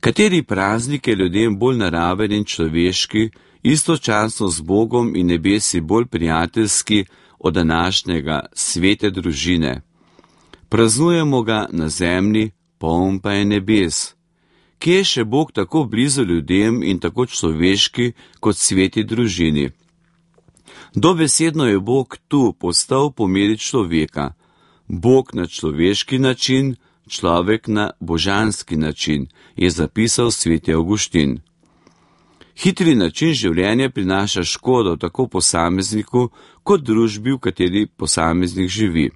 Kateri praznik je ljudem bolj naraven in človeški, istočasno z Bogom in nebesi bolj prijateljski od današnjega svete družine? Praznujemo ga na zemlji, poln pa je nebes. Kje je še Bog tako blizu ljudem in tako človeški kot sveti družini? Dobesedno je Bog tu postal po meri človeka. Bog na človeški način, človek na božanski način, je zapisal sveti Avguštin. Hitri način življenja prinaša škodo tako posamezniku kot družbi, v kateri posameznik živi.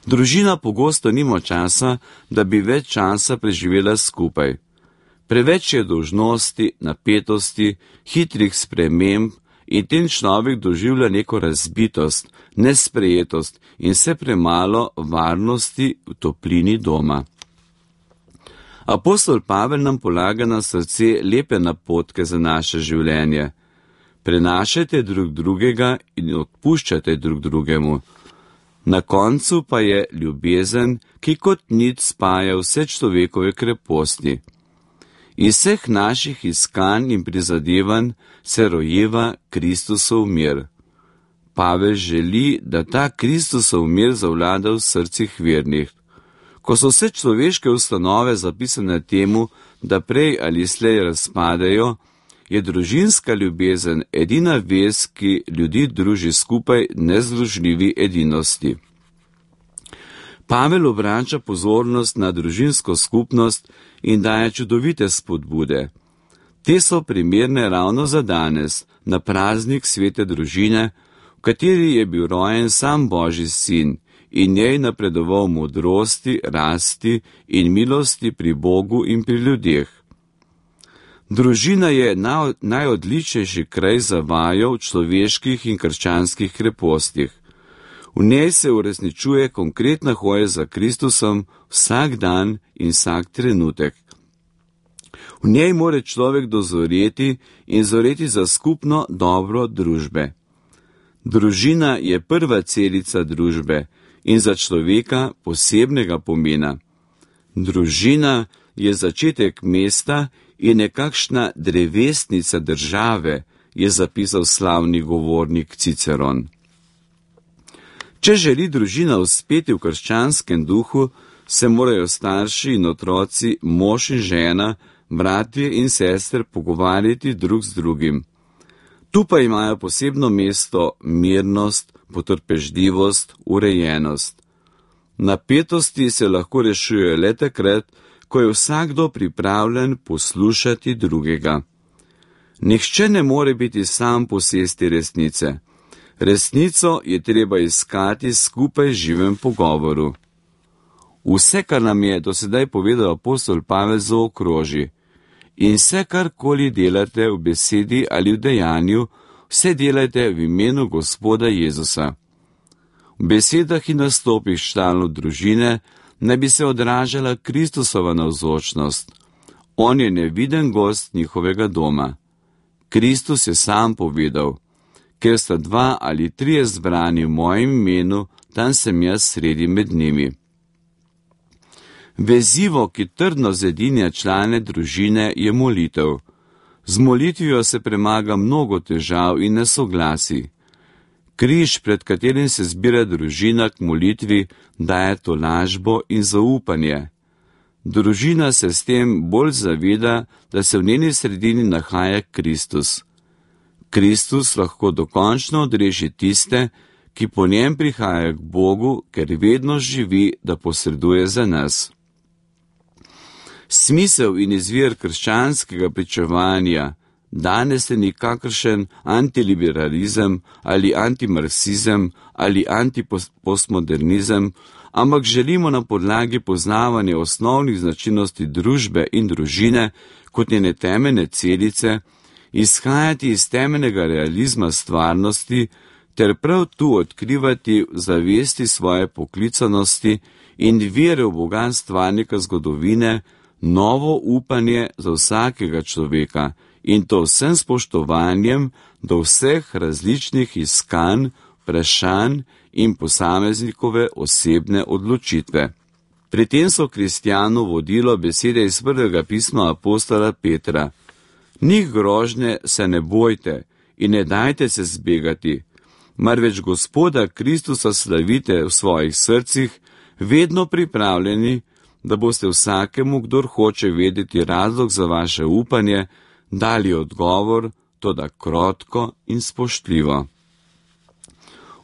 Družina pogosto nima časa, da bi več časa preživela skupaj. Preveč je dolžnosti, napetosti, hitrih sprememb in tem človek doživlja neko razbitost, nesprejetost in vse premalo varnosti v toplini doma. Apostol Pavel nam polaga na srce lepe napotke za naše življenje. Prenašajte drug drugega in odpuščajte drug drugemu. Na koncu pa je ljubezen, ki kot nit spaja vse človekove kreposti. Iz vseh naših iskanj in prizadevanj se rojeva Kristusov mir. Pavel želi, da ta Kristusov mir zavlada v srcih vernih. Ko so vse človeške ustanove zapisane temu, da prej ali slej razpadejo, je družinska ljubezen edina vez, ki ljudi druži skupaj nezdružljivi edinosti. Pavel obrača pozornost na družinsko skupnost in daje čudovite spodbude. Te so primerne ravno za danes, na praznik svete družine, v kateri je bil rojen sam Božji sin in njej napredoval modrosti, rasti in milosti pri Bogu in pri ljudeh. Družina je najodličnejši kraj za vajo v človeških in krščanskih krepostih. V njej se uresničuje konkretna hoja za Kristusom vsak dan in vsak trenutek. V njej more človek dozoreti in zoreti za skupno dobro družbe. Družina je prva celica družbe in za človeka posebnega pomena. Družina je začetek mesta in nekakšna drevesnica države, je zapisal slavni govornik Ciceron. Če želi družina uspeti v krščanskem duhu, se morajo starši in otroci, mož in žena, bratje in sestre pogovarjati drug z drugim. Tu pa imajo posebno mesto mirnost, potrpežljivost, urejenost. Napetosti se lahko rešujejo le takrat, ko je vsakdo pripravljen poslušati drugega. Nihče ne more biti sam posesti resnice. Resnico je treba iskati skupaj živem pogovoru. Vse, kar nam je do sedaj povedal apostol Pavel, zaokroži. In vse, karkoli delate v besedi ali v dejanju, vse delajte v imenu Gospoda Jezusa. V besedah in nastopih članov družine naj bi se odražala Kristusova navzočnost. On je neviden gost njihovega doma. Kristus je sam povedal: ker sta 2 ali 3 zbrani v mojem imenu, tam sem jaz sredi med njimi. Vezivo, ki trdno zedinja člane družine, je molitev. Z molitvijo se premaga mnogo težav in nesoglasij. Križ, pred katerim se zbira družina k molitvi, daje tolažbo in zaupanje. Družina se s tem bolj zaveda, da se v njeni sredini nahaja Kristus. Kristus lahko dokončno odreši tiste, ki po njem prihajajo k Bogu, ker vedno živi, da posreduje za nas. Smisel in izvir krščanskega pričevanja danes je nikakršen antiliberalizem ali antimarksizem ali antipostmodernizem, ampak želimo na podlagi poznavanja osnovnih značilnosti družbe in družine kot njene temeljne celice izhajati iz temeljnega realizma stvarnosti ter prav tu odkrivati zavesti svoje poklicanosti in vere v Boga stvarnika zgodovine, novo upanje za vsakega človeka in to vsem spoštovanjem do vseh različnih iskanj, vprašanj in posameznikove osebne odločitve. Pri tem so kristjanu vodilo besede iz prvega pisma apostola Petra. Njih grožnje se ne bojte in ne dajte se zbegati, marveč Gospoda Kristusa slavite v svojih srcih, vedno pripravljeni, da boste vsakemu, kdor hoče vedeti razlog za vaše upanje, dali odgovor, toda krotko in spoštljivo.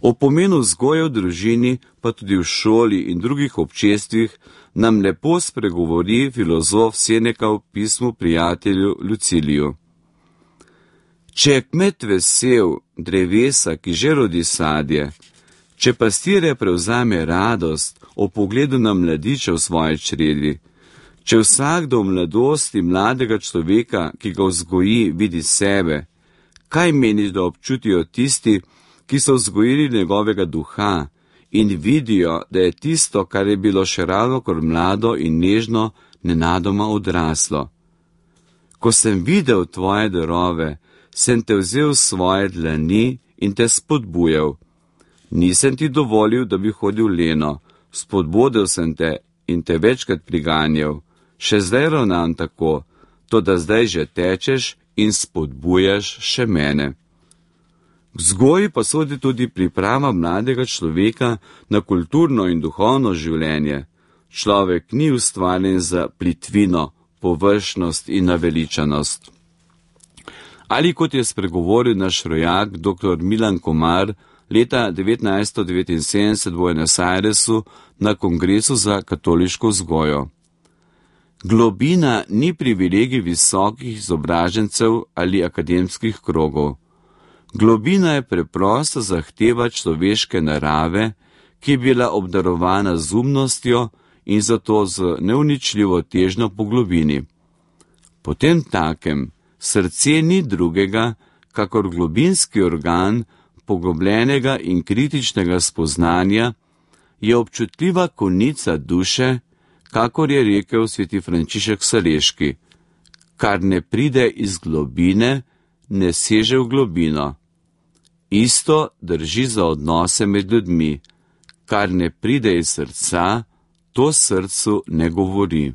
O pomenu vzgoje v družini, pa tudi v šoli in drugih občestvih, nam lepo spregovori filozof Seneka v pismu prijatelju Luciliju. Če je kmet vesel drevesa, ki že rodi sadje, če pastire prevzame radost o pogledu na mladiča v svoji čredi, če vsakdo v mladosti mladega človeka, ki ga vzgoji, vidi sebe, kaj meniš, da občutijo tisti, ki so vzgojili njegovega duha in vidijo, da je tisto, kar je bilo še ravnokar mlado in nežno, nenadoma odraslo. Ko sem videl tvoje darove, sem te vzel v svoje dlani in te spodbujal. Nisem ti dovolil, da bi hodil leno, spodbudil sem te in te večkrat priganjal. Še zdaj ravnam tako, toda zdaj že tečeš in spodbujaš še mene. K vzgoji pa sodi tudi priprava mladega človeka na kulturno in duhovno življenje. Človek ni ustvarjen za plitvino, površnost in naveličanost. Ali kot je spregovoril naš rojak dr. Milan Komar leta 1979 v Buenos Airesu na Kongresu za katoliško vzgojo. Globina ni privilegij visokih izobražencev ali akademskih krogov. Globina je preprosta zahteva človeške narave, ki je bila obdarovana z umnostjo in zato z neuničljivo težnjo po globini. Potem takem srce ni drugega, kakor globinski organ poglobljenega in kritičnega spoznanja, je občutljiva konica duše, kakor je rekel sveti Frančišek Saleški. Kar ne pride iz globine, ne seže v globino. Isto drži za odnose med ljudmi. Kar ne pride iz srca, to srcu ne govori.